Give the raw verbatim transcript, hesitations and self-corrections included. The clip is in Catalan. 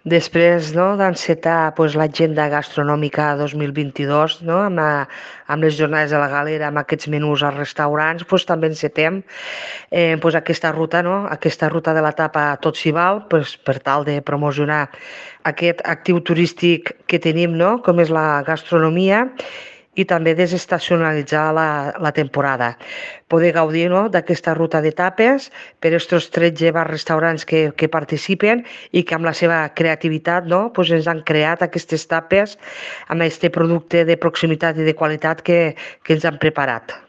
Després, no, d'encetar pues, l'agenda gastronòmica dos mil vint-i-dos, no, amb, la, amb les jornades de la galera, amb aquests menús als restaurants, pues, també encetem eh, pues, aquesta ruta, no, aquesta ruta de la tapa Tot s'hi val, pues, per tal de promocionar aquest actiu turístic que tenim, no, com és la gastronomia, i també desestacionalitzar la, la temporada. Poder gaudir, no, d'aquesta ruta d'etapes per aquests tretze bars restaurants que, que participen i que amb la seva creativitat, no, pues ens han creat aquestes tapes amb aquest producte de proximitat i de qualitat que, que ens han preparat.